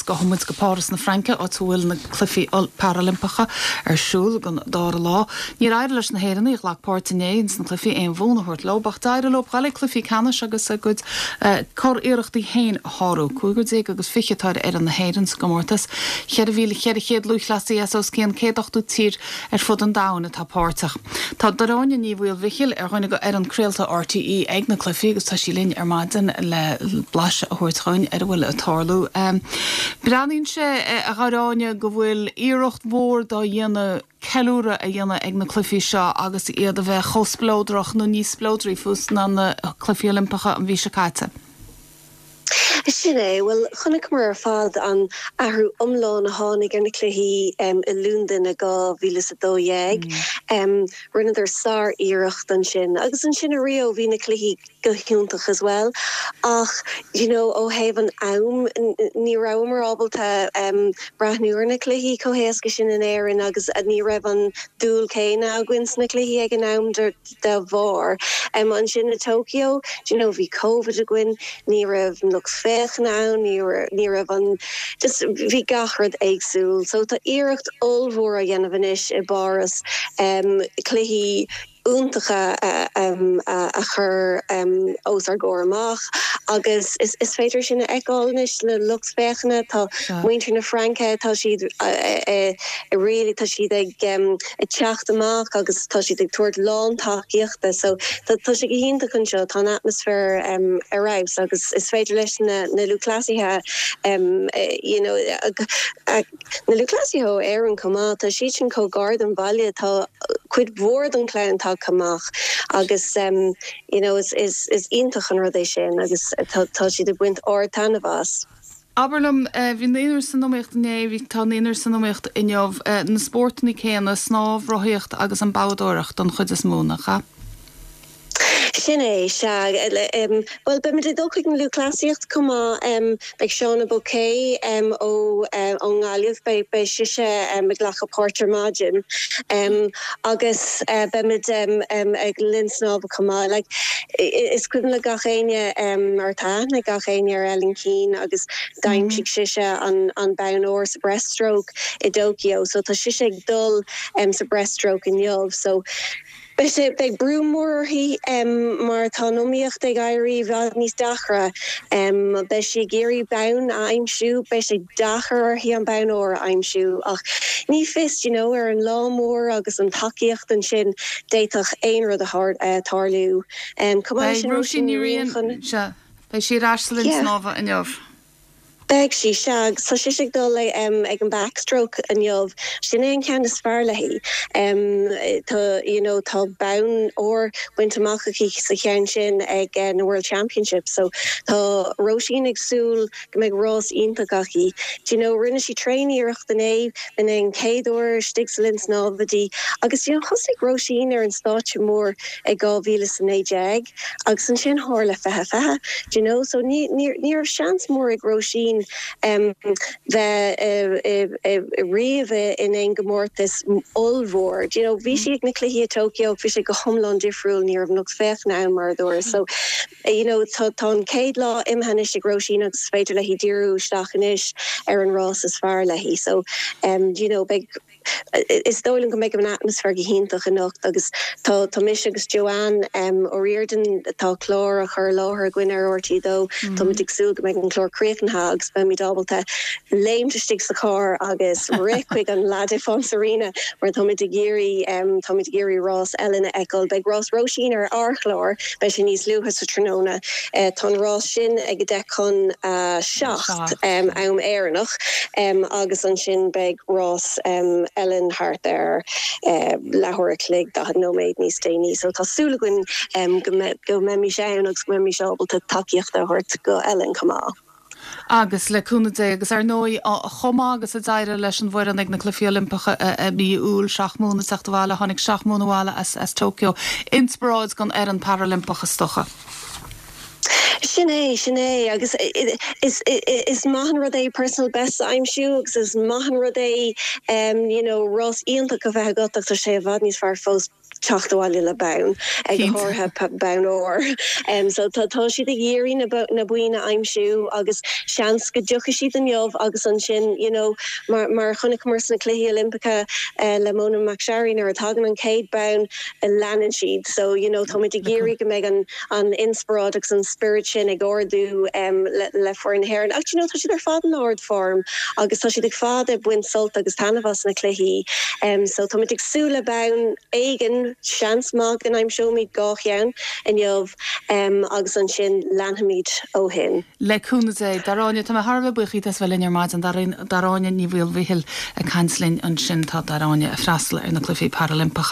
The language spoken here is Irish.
Agus gabhfaidh muid go Páras na Fraince, áit a bhfuil na Cluichí Parailimpeacha ar siúl don dara lá. Níor éirigh leis na hÉireannaigh a ghlac páirt inné ins na cluichí aon bhonn a thabhairt leo, ach d'éirigh leo dul ag cluichí ceannais agus a gcuid curiarrachtaí féin a shárú. 15 agus 20 atá ar fhoireann na hÉireann sa gcomórtas. 4,400 lúthchleasaí as os cionn 180 tír ar fud an domhain atá páirteach. Tá Gráinne Ní Mhaoilmhichíl ar dhuine de fhoireann craolta RTÉ ag na cluichí agus tá sí linn ar maidin le blaiseadh a thabhairt dhúinn ar a bhfuil ag tarlú. Breathnaíonn sé, a Ghráinne, go bhfuil iarracht mhór dá dhéanamh ceiliúradh a dhéanamh ag na cluichí seo agus iad a bheith chomh spleodrach nó níos spleodraí fós ná na Cluichí Oilimpeacha an mhí seo caite. Sin é. Bhuel, chonaiceamar ar fad an athrú iomlán a tháinig ar na cluichí i Londain i 2012. Rinneadar sár-iarracht ansin. Agus ansin i Rio bhí na cluichí go hiontach as well. Ach, you know, ó thaobh an am, ní rabhamar ábalta breathnú ar na cluichí chomh héasca sin in Éirinn agus ní raibh an dúil céanna againn sna cluichí ag an am. dá bharr. Ansin i Tokyo, do you know, bhí Covid againn, ní raibh an lucht féachana ann, ní raibh, ní raibh an, just bhí gach rud éagsúil. So tá iarracht ollmhór á dhéanamh anois i bPáras cluichí iontacha a chur os ár gcomhair amach agus is féidir sin a fheiceáil anois le lucht féachana. Tá muintir na Fraince, tá siad really, tá siad ag. ag teacht amach agus tá siad ag tabhairt lán tacaíochta so tá sé go hiontach anseo, tá an atmaisféar ar fheabhas agus is féidir leis na na lúthchleasaithe you know na lúthchleasaithe ó Éirinn chomh maith, tá siad sin chomh gar don bhaile, tá cuid mhór den chlann tagtha amach agus you know is is is iontach an rud é sin agus tá tá siad ag baint ard-taitneamh as. Abair liom, bhí naonúr san iomaíocht inné, bhí, tá naonúr san iomaíocht inniu, na spórtanna céanna, snámh, rothaíocht agus an boghdóireacht don chuid is mó, nach ea? Sin é, sea. Bhuel, beimid ag dul chuig an lúthchleasaíocht chomh maith. Beidh Shauna Bocquet ó ón nGaillimh, beidh beidh sise ag glacadh páirt ar maidin. Agus beimid ag linn snámha chomh maith. Like, is cuimhin le gach éinne, mar tá aithne ag gach éinne ar Ellen Keane agus d'aimsigh sise an an bonn óir sa breaststroke i dTokyo so tá sise ag dul sa breaststroke inniu so beidh sé beidh brú mór uirthi mar tá an iomaíocht ag éirí i bhfad níos deacra. Beidh sí ag iarraidh bonn a aimsiú, beidh sé deacair uirthi an bonn óir a aimsiú ach ní fios you know ar an lá mór agus an tacaíocht ansin d'fhéadfadh aon rud a tarlú. Chomh maith leis sin, Róisín Ní Riain chun. Sea, beidh sí ar ais sa linn snámha inniu. Beidh sí, sea. Agus tá sise ag dul ag an backstroke inniu. Sin é an ceann is fearr léi. Tá, you know, tá bonn óir bainte amach aici sa cheann sin ag na World Championships. So tá Róisín ag súil go mbeidh rás iontach aici. Do you know, rinne sí tréan-iarracht inné, b'in é an chéad uair istigh sa linn snámha di. Agus, you know, thosaigh Róisín ar an stáitse mór i 2019 agus ansin tharla 2020, do you know, so ní, ní, ní raibh seans mór ag Róisín em bheith riamh in aon gcomórtas ollmhór, do you know, bhí sí ag na cluichí i Tokyo ach bhí sé go hiomlán difriúil, ní raibh an lucht féachana ann mar a dúras. So, you know, tá, tá an chéad lá imithe anois ag Róisín agus is féidir léi díriú isteach anois ar an rás is fearr léi. So, em, you know, beidh, Is dóigh liom go mbeidh an atmaisféar go hiontach anocht agus tá tá mise agus Joanne O'Riordan, tá clár á chur i láthair againn ar RTÉ 2, táimid ag súil go mbeidh an clár críochnaithe agus beimid ábalta léimt istigh sa charr agus rith chuig an La Défense Arena mar táimid ag iarraidh táimid ag iarraidh rás Ellen a fheiceáil. Beidh rás Róisín ar ár chlár, beidh sé níos luaithe sa tráthnóna. Tá an rás sin ag 10 chun 7 am Éireannach agus ansin beidh rás Ellen thart ar leathuair a chloig, 40 nóiméad níos déanaí. So tá súil againn go mbeimis ann agus go mbeimis ábalta tacaíocht a thabhairt go Ellen chomh maith. Agus le cúnamh Dé, agus ar ndóigh, chomh maith agus a d'éirigh leis an bhfoireann ag na Cluichí Oilimpeacha i mí Iúil, 7 mbonn ag teacht abhaile, tháinig 7 mbonn abhaile as Tokyo. Inspioráid don fhoireann Parailimpeach is dócha. Sin é, sin é. Agus is, is maith an rud é personal best a aimsiú agus is maith an rud é you know rás iontach a bheith agat ach tá sé i bhfad níos fearr fós. teacht abhaile le bonn, go háirithe bonn óir. So tá tá siad ag iarraidh na boinn a aimsiú agus seans go dtiocfaidh siad inniu agus ansin you know mar mar a chonaiceamar sna Cluichí Oilimpeacha le Mona McSharry nuair a tagann an chéad bonn leanann siad. So you know táimid ag iarraidh go mbeidh an an inspioráid agus an spiorad sin ag ardú le foireann na hÉireann. Ach you know tá siad ar fad in ard-form agus tá siad ar fad ag baint sult agus taitneamh as na cluichí. So táimid ag súil le bonn éigin, seans maith go n-aimseoimid 2 cheann inniu agus ansin leanfaimid ó shin. Le cúnamh Dé. Daráine, tá mé thar a bheith buíoch díot as bheith linn ar maidin. Daráine Ní Mhaolmhichíl ag caint linn ansin. Tá Daráine ag freastal ar na Cluichí Parailimpeacha.